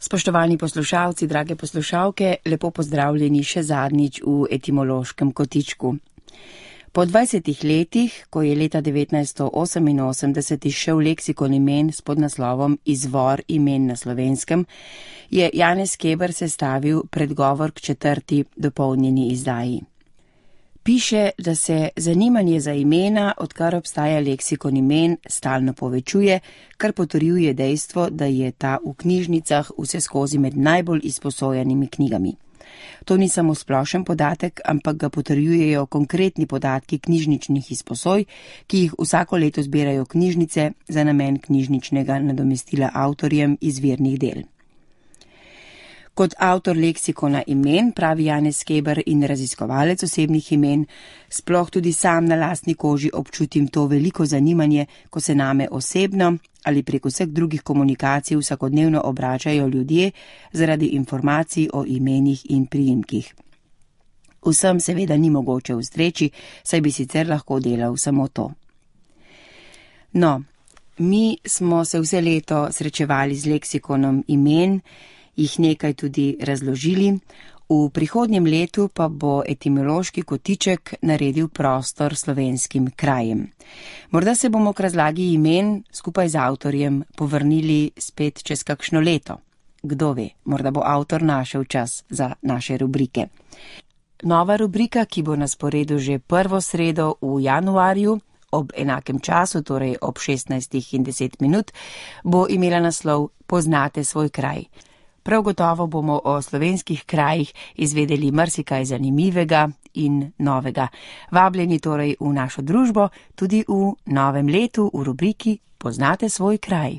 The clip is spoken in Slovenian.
Spoštovani poslušalci, drage poslušalke, lepo pozdravljeni še zadnjič v etimološkem kotičku. Po 20 letih, ko je leta 1988 izšel leksikon imen s podnaslovom Izvor imen na Slovenskem, je Janez Keber sestavil predgovor k 4. dopolnjeni izdaji. Piše, da se zanimanje za imena, odkar obstaja leksikon imen, stalno povečuje, kar potrjuje dejstvo, da je ta v knjižnicah vseskozi med najbolj izposojenimi knjigami. To ni samo splošen podatek, ampak ga potrjujejo konkretni podatki knjižničnih izposoj, ki jih vsako leto zbirajo knjižnice za namen knjižničnega nadomestila avtorjem izvirnih del. Kot avtor leksikona imen, pravi Janez Keber in raziskovalec osebnih imen, sploh tudi sam na lastni koži občutim to veliko zanimanje, ko se name osebno ali prek vseh drugih komunikacij vsakodnevno obračajo ljudje zaradi informacij o imenih in priimkih. Vsem seveda ni mogoče ustreči, saj bi sicer lahko delal samo to. No, mi smo se vse leto srečevali z leksikonom imen, jih nekaj tudi razložili, v prihodnjem letu pa bo etimološki kotiček naredil prostor slovenskim krajem. Morda se bomo k razlagi imen skupaj z avtorjem povrnili spet čez kakšno leto. Kdo ve, morda bo avtor našel čas za naše rubrike. Nova rubrika, ki bo na sporedu že prvo sredo v januarju, ob enakem času, torej ob 16:10, bo imela naslov Poznate svoj kraj. Prav gotovo bomo o slovenskih krajih izvedeli marsikaj zanimivega in novega. Vabljeni torej v našo družbo tudi v novem letu v rubriki Poznate svoj kraj.